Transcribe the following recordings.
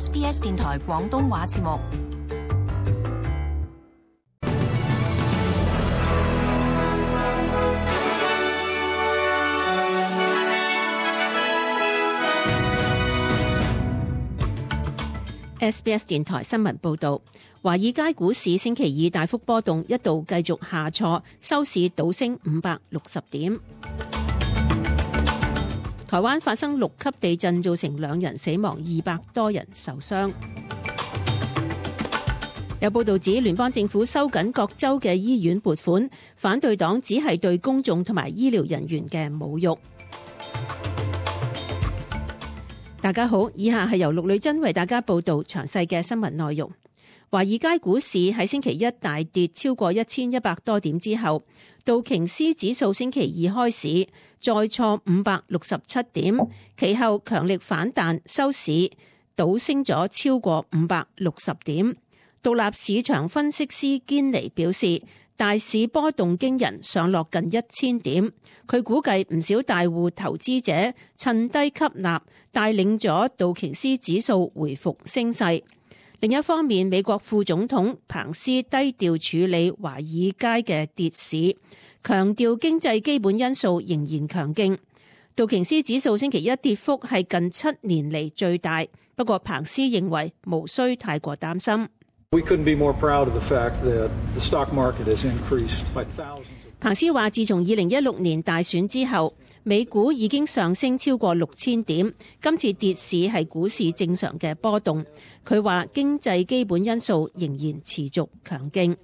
SBS 電台廣東話節目。SBS 電台新聞報導，華爾街股市星期二大幅波動，一度繼續下挫，收市倒升560點。台灣發生6級地震，造成2人死亡，200多人受傷。有報導指，聯邦政府收緊各州嘅醫院撥款，反對黨只係對公眾同埋醫療人員嘅侮辱。大家好，以下係由陸女珍為大家報道詳細嘅新聞內容。華爾街股市喺星期一大跌超過1100多點之後，道瓊斯指數星期二開市再挫567點，其後強力反彈，收市倒升咗超過560點。獨立市場分析師堅尼表示，大市波動驚人，上落近1000點。佢估計唔少大戶投資者趁低吸納，帶領咗道瓊斯指數回復升勢。另一方面，美國副總統彭斯低調處理華爾街嘅跌市，強調經濟基本因素仍然強勁。道瓊斯指數星期一跌幅係近7年嚟最大，不過彭斯認為無需太過擔心。彭斯話，自從2016年大選之後，美股已經上升超過6000點，今次跌市係股市正常嘅波動。佢話經濟基本因素仍然持續強勁。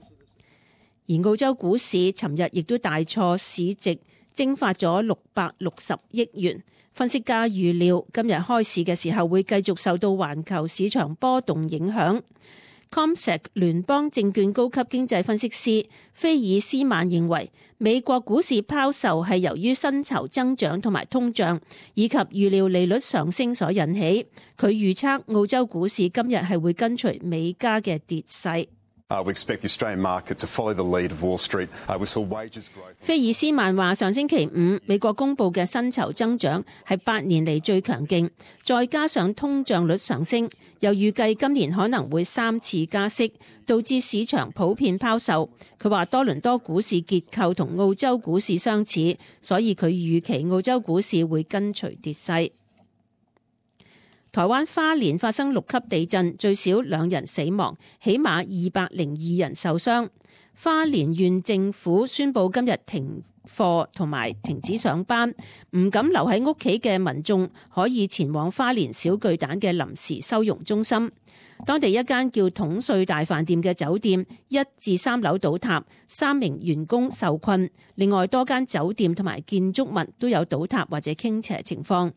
而澳洲股市尋日亦都大挫，市值蒸發咗660億元。分析家預料今日開市嘅時候會繼續受到環球市場波動影響。CommSec 聯邦證券高級經濟分析師菲爾斯曼認為，美國股市拋售係由於薪酬增長同埋通脹，以及預料利率上升所引起。佢預測澳洲股市今日係會跟隨美加嘅跌勢。菲爾斯曼話，上星期五美國公布嘅薪酬增長係8年嚟最強勁，再加上通脹率上升，又預計今年可能會3次加息，導致市場普遍拋售。佢話多倫多股市結構同澳洲股市相似，所以佢預期澳洲股市會跟隨跌勢。台灣花蓮發生6級地震，最少2人死亡，起碼202人受傷。花蓮縣政府宣布今日停課同埋停止上班，唔敢留喺屋企嘅民眾可以前往花蓮小巨蛋嘅臨時收容中心。當地一間叫統帥大飯店嘅酒店1至3樓倒塌，3名員工受困。另外多間酒店同埋建築物都有倒塌或者傾斜情況。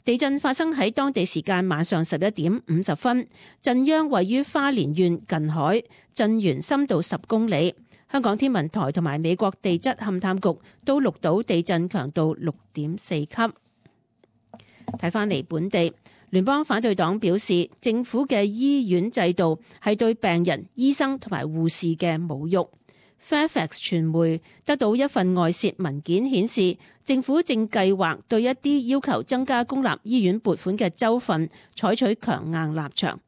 地震發生喺當地時間晚上11點50分，震央位於花蓮縣近海，震源深度10公里。香港天文台同埋美國地質勘探局都錄到地震強度6.4級。睇返嚟本地，聯邦反對黨表示，政府嘅醫院制度係對病人、醫生同埋護士嘅侮辱。Fairfax 傳媒得到一份外泄文件顯示，政府正計劃對一啲要求增加公立醫院撥款嘅州份採取強硬立場。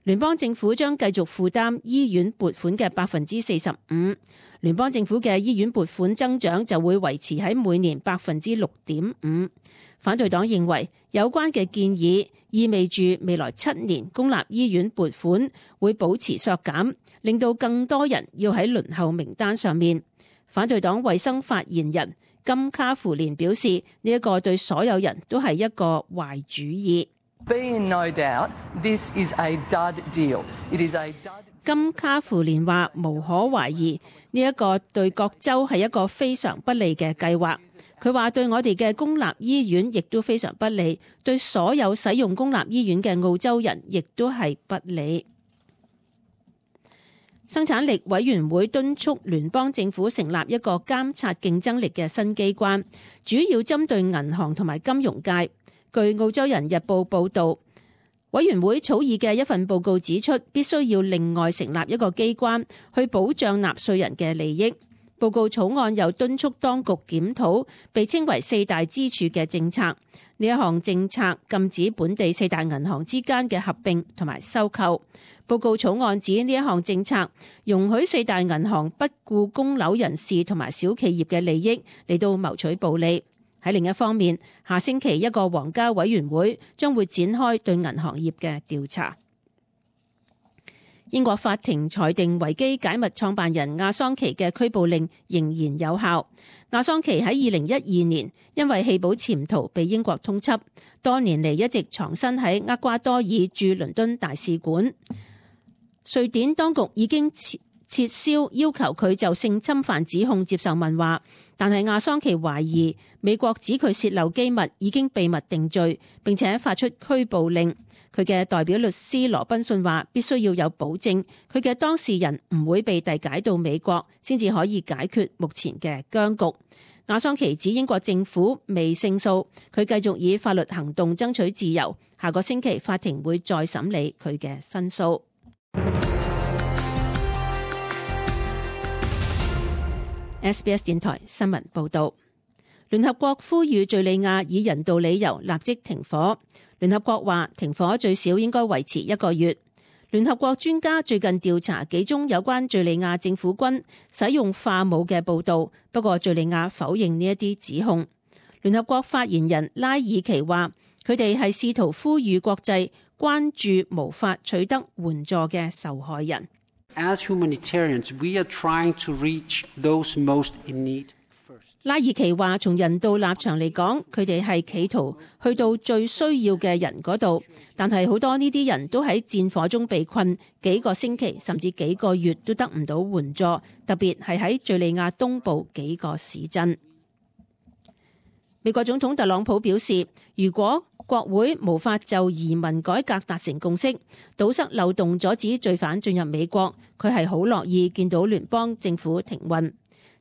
聯邦政府將繼續負擔醫院撥款嘅45%，聯邦政府嘅醫院撥款增長就會維持喺每年6.5%。反對黨認為有關嘅建議意味住未來7年公立醫院撥款會保持削減，令到更多人要喺輪候名單上面。反對黨衛生發言人金卡芙蓮表示，呢一個對所有人都係一個壞主意。金卡芙蓮話，無可懷疑，呢一個對各州係一個非常不利嘅計劃。佢話對我哋嘅公立醫院亦都非常不利，對所有使用公立醫院嘅澳洲人亦都係不利。生產力委員會敦促聯邦政府成立一個監察競爭力嘅新機關，主要針對銀行同埋金融界。據澳洲人日報報導，委員會草擬嘅一份報告指出，必須要另外成立一個機關去保障納稅人嘅利益。報告草案又敦促當局檢討被稱為四大支柱嘅政策。呢一項政策禁止本地四大銀行之間嘅合併同埋收購。報告草案指呢一項政策容許四大銀行不顧供樓人士同埋小企業嘅利益嚟到謀取暴利。喺另一方面，下星期一個皇家委員會將會展開對銀行業嘅調查。英國法庭裁定維基解密創辦人亞桑奇嘅拘捕令仍然有效。亞桑奇喺2012年因為棄保潛逃被英國通緝，多年嚟一直藏身喺厄瓜多爾駐倫敦大使館。瑞典當局已經撤銷要求佢就性侵犯指控接受問話，但係亞桑奇懷疑美國指佢洩漏機密已經秘密定罪，並且發出拘捕令。佢嘅代表律師羅賓遜話必須要有保證，佢嘅當事人唔會被遞解到美國，先至可以解決目前嘅僵局。亞桑奇指英國政府未勝訴，佢繼續以法律行動爭取自由。下個星期法庭會再審理佢嘅申訴。SBS 電台新聞報道，聯合國呼籲敘利亞以人道理由立即停火。聯合國話停火最少應該維持1個月。聯合國專家最近調查幾宗有關敘利亞政府軍使用化武嘅報道，不過敘利亞否認呢一啲指控。聯合國發言人拉爾奇話，佢哋係試圖呼籲國際關注無法取得援助嘅受害人。As humanitarians, we are trying to reach those most in need. 拉爾奇話，從人道立場嚟講，佢哋係企圖去到最需要嘅人嗰度，但係好多呢啲人都喺戰火中被困幾個星期甚至幾個月都得唔到援助，特別係喺敘利亞東部幾個市鎮。美國總統特朗普表示，如果國會無法就移民改革達成共識，堵塞漏洞，阻止罪犯進入美國，佢係好樂意見到聯邦政府停運。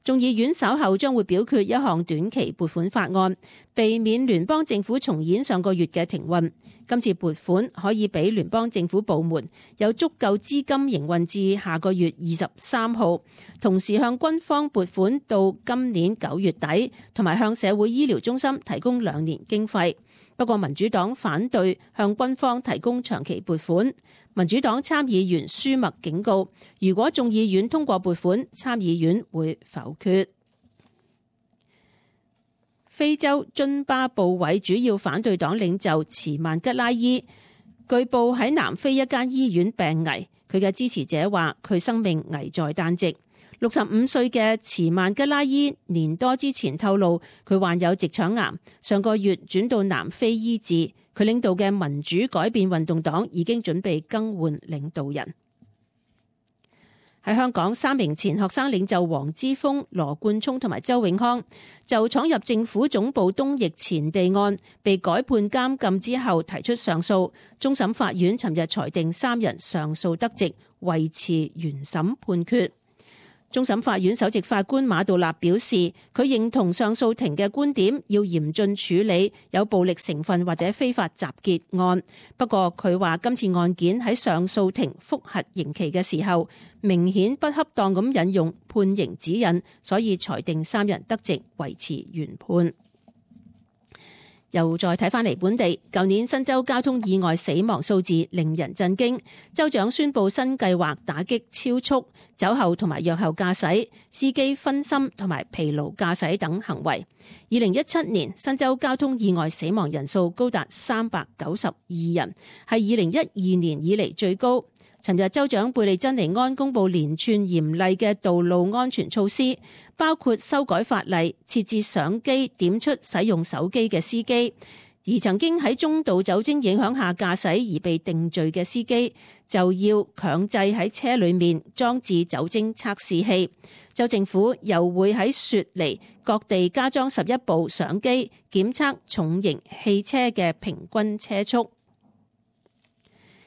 眾議院稍後將會表決一項短期撥款法案，避免聯邦政府重演上個月嘅停運。今次撥款可以俾聯邦政府部門有足夠資金營運至下個月23號，同時向軍方撥款到今年9月底，同埋向社會醫療中心提供2年經費。不過民主黨反對向軍方提供長期撥款。民主黨參議員舒默警告，如果眾議院通過撥款，參議院會否決。非洲津巴布韋主要反對黨領袖茨曼吉拉伊據報喺南非一間醫院病危，佢嘅支持者話佢生命危在旦夕。65歲嘅茨曼吉拉伊年多之前透露，佢患有直腸癌，上個月轉到南非醫治。佢領導嘅民主改變運動黨已經準備更換領導人。喺香港，3名前學生領袖黃之鋒、羅冠聰同埋周永康就闖入政府總部東翼前地案被改判監禁之後提出上訴，終審法院尋日裁定3人上訴得直，維持原審判決。終審法院首席法官馬道立表示，佢認同上訴庭嘅觀點，要嚴峻處理有暴力成分或者非法集結案。不過佢話今次案件喺上訴庭覆核刑期嘅時候，明顯不恰當咁引用判刑指引，所以裁定3人得直，維持原判。又再睇返嚟本地，舊年新州交通意外死亡數字令人震驚。州長宣布新計劃打擊超速、酒後同埋藥後駕駛、司機分心同埋疲勞駕駛等行為。2017年新州交通意外死亡人數高達392人，係2012年以嚟最高。尋日州長貝利珍尼安公布連串嚴厲嘅道路安全措施，包括修改法例，設置相機點出使用手機嘅司機，而曾經喺中度酒精影響下駕駛而被定罪嘅司機就要強制喺車裏面裝置酒精測試器。州政府又會喺雪梨各地加裝11部相機，檢測重型汽車嘅平均車速。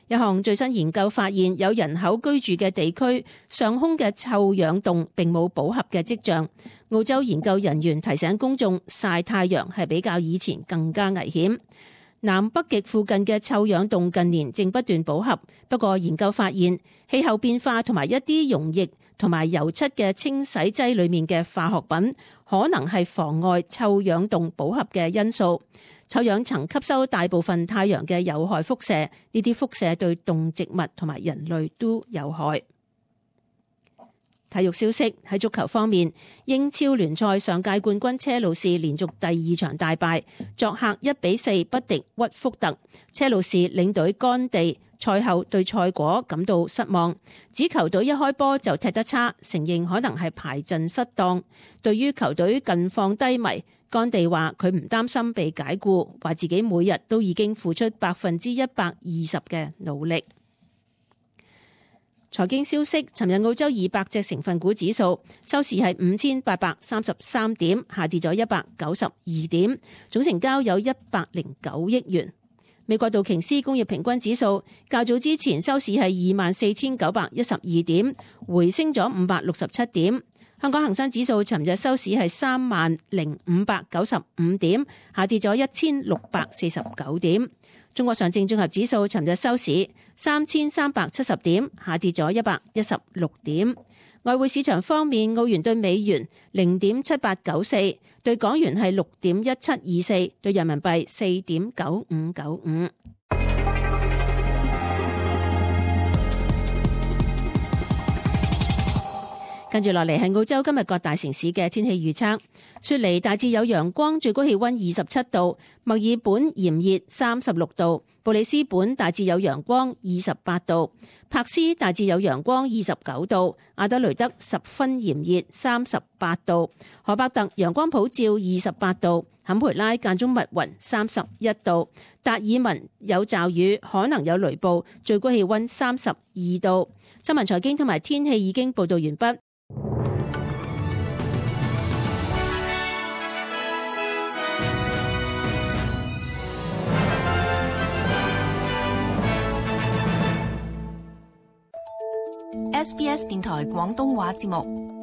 一項最新研究發現，有人口居住嘅地區上空嘅臭氧洞並冇飽和嘅跡象。澳洲研究人員提醒公眾，曬太陽係比較以前更加危險。南北極附近嘅臭氧洞近年正不斷補合，不過研究發現氣候變化同埋一啲溶液同埋油漆嘅清洗劑裏面嘅化學品，可能係妨礙臭氧洞補合嘅因素。臭氧層吸收大部分太陽嘅有害輻射，呢啲輻射對動植物同埋人類都有害。體育消息，喺足球方面，英超聯賽上屆冠軍車路士連續第2場大敗，作客1-4不敵屈福特。車路士領隊干地賽後對賽果感到失望，指球隊一開波就踢得差，承認可能係排陣失當。對於球隊近況低迷，干地話佢唔擔心被解雇，話自己每日都已經付出120%嘅努力。財經消息，尋日澳洲200隻成分股指數收市係5833點，下跌咗192點，總成交有109億元。美國道瓊斯工業平均指數較早之前收市係24,912點，回升咗567點。香港恒生指數尋日收市係30,595點，下跌咗1,649點。中國上證綜合指數尋日收市3,370點，下跌咗116點。外匯市場方面，澳元對美元0.7894，對港元係6.1724，對人民幣4.9595。跟住落嚟係澳洲今日各大城市嘅天氣預測。雪梨大致有陽光，最高氣溫27度；墨爾本炎熱36度；布里斯本大致有陽光28度；柏斯大致有陽光29度；阿德雷德十分炎熱38度；荷伯特陽光普照28度；坎培拉間中密雲31度；達爾文有驟雨，可能有雷暴，最高氣溫32度。新聞財經同埋天氣已經報道完畢。SBS 電台廣東話節目。